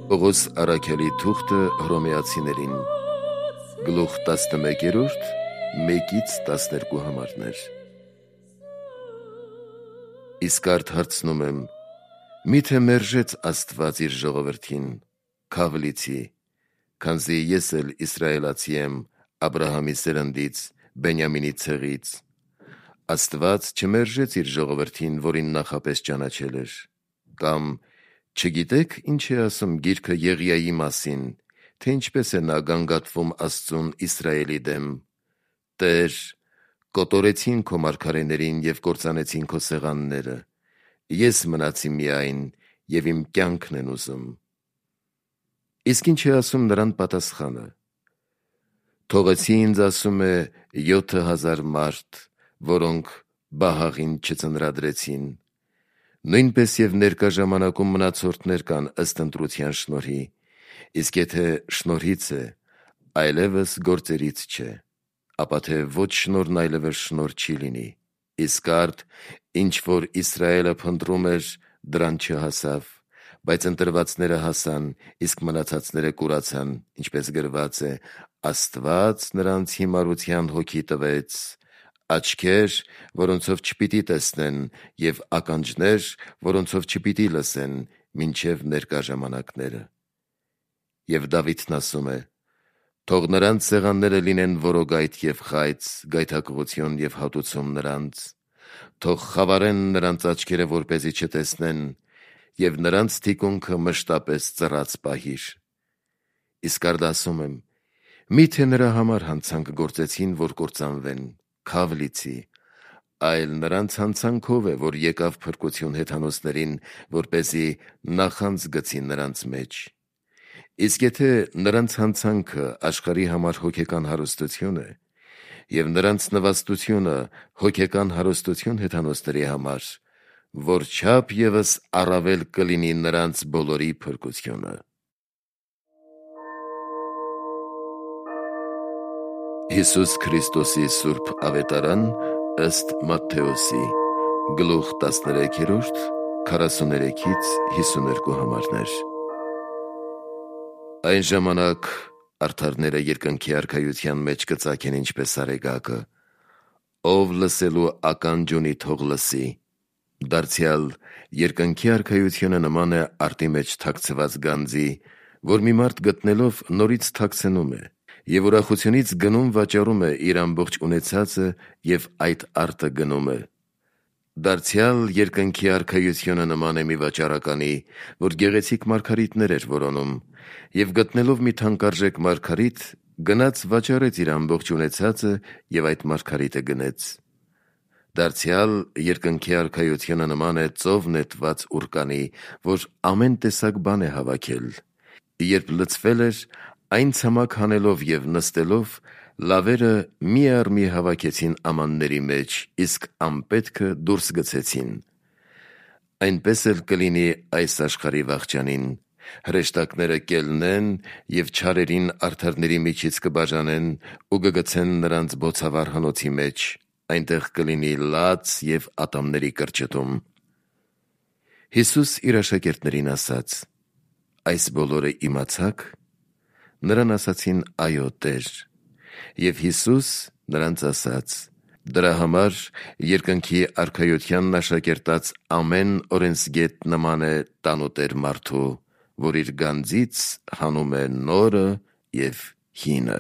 Պողոս առաքյալի թուղթը Հռոմեացիներին, գլուխ 11, 1-12 համարներ։ Իսկ արդ հարցնում եմ, միթե մերժեց Աստված իր ժողովրդին, քավլիցի, քանզի ես էլ իսրայելացի եմ, Աբրահամի սերնդից, Բենյամինի ցեղից։ Աստված չմերժեց իր ժողովրդին, որին նախապես ճանաչել էր, կամ չգիտեք ինչ է ասում գիրքը Եղիայի մասին, թե ինչպես է նա գանգատվում Աստծուն Իսրայելի դեմ. Տեր, կոտորեցին քո մարգարեներին և կործանեցին քո սեղանները, ես մնացի միայն և իմ կյանքն են ուզում։ Իսկ ինչ է ասում նրան պատասխանը. թողեցի ինձ, ասում է, 7000 մարդ, որոնք բահաղին չծնրադրեցին, նույնպես և ներկա ժամանակում մնացորդներ կան ըստ ընտրության շնորհի, իսկ եթե շնորհից է, այլևս գործերից չէ, ապա թե ոչ շնորհն այլևս շնորհ չի լինի, իսկ արդ, ինչ որ Իսրայելը փնտրում էր, դրան չհասավ, բայց ընտրվածները հասան, իսկ մնացածները կուրացան, ինչպես գրված է. Աստված նրանց հիմարության հոգի տվեց, աչքեր, որոնցով չպիտի տեսնեն, և ականջներ, որոնցով չպիտի լսեն, մինչև ներկա ժամանակները։ Եվ Դավիթն ասում է. թող նրանց սեղանները լինեն որոգայթ և խայծ, գայթակղություն և հատուցում նրանց, թող խավարեն նրանց աչքերը, որպեսզի չտեսնեն, և նրանց թիկունքը մշտապես ծռած պահիր։ Իսկ արդ ասում եմ, միթե նրա համար հանցանք գործեցին, որ կործանվեն, քավլիցի, այլ նրանց հանցանքով է, որ եկավ փրկություն հեթանոսներին, որպեսզի նախանձ գցի նրանց մեջ։ Իսկ եթե նրանց հանցանքը աշխարհի համար հոգեկան հարստություն է, և նրանց նվաստությունը հոգեկան հարստություն հեթանոսների համար, որչափ ևս առավել կլինի նրանց բոլորի փրկությունը։ Հիսուս Քրիստոսի Սուրբ Ավետարան ըստ Մատթեոսի, գլուխ 13, 43-52 համարներ։ Այն ժամանակ արդարները երկնքի արքայության մեջ կծագեն ինչպես արեգակը, ով լսելու ականջ ունի, թող լսի։ Դարձյալ երկնքի արքայությունը նման է արտի մեջ թաքցված գանձի, որ մի մարդ գտնելով նորից թաքցնում է, և ուրախությունից գնում վաճառում է իր ամբողջ ունեցածը և այդ արտը գնում է։ Դարձյալ երկնքի արքայությունը նման է մի վաճառականի, որ գեղեցիկ մարգարիտներ էր որոնում, և գտնելով մի թանկարժեք մարգարիտ, գնաց վաճառեց իր ամբողջ ունեցածը և այդ մարգարիտը գնեց։ Դարձյալ երկնքի արքայությունը նման է ծով նետված ուռկանի, որ ամեն տեսակ բան է հավաքել։ Երբ լցվել էր, այն ցամաք հանելով և նստելով, լավերը մի առ մի հավաքեցին ամանների մեջ, իսկ անպետքը դուրս գցեցին։ Այնպես էլ կլինի այս աշխարհի վախճանին. հրեշտակները կելնեն և չարերին արդարների միջից կբաժանեն ու կգցեն նրանց բոցավառ հնոցի մեջ, այնտեղ կլինի լաց և ատամների կրճտում։ Հիսուս իր աշակերտներին ասաց. այս բոլորը իմացա՞ք։ Նրան ասացին. այո, Տեր։ Եվ Հիսուս նրանց ասաց. դրա համար երկնքի արքայությանն աշակերտած ամեն օրենսգետ նման է տանուտեր մարդու, որ իր գանձից հանում է նորը և հինը։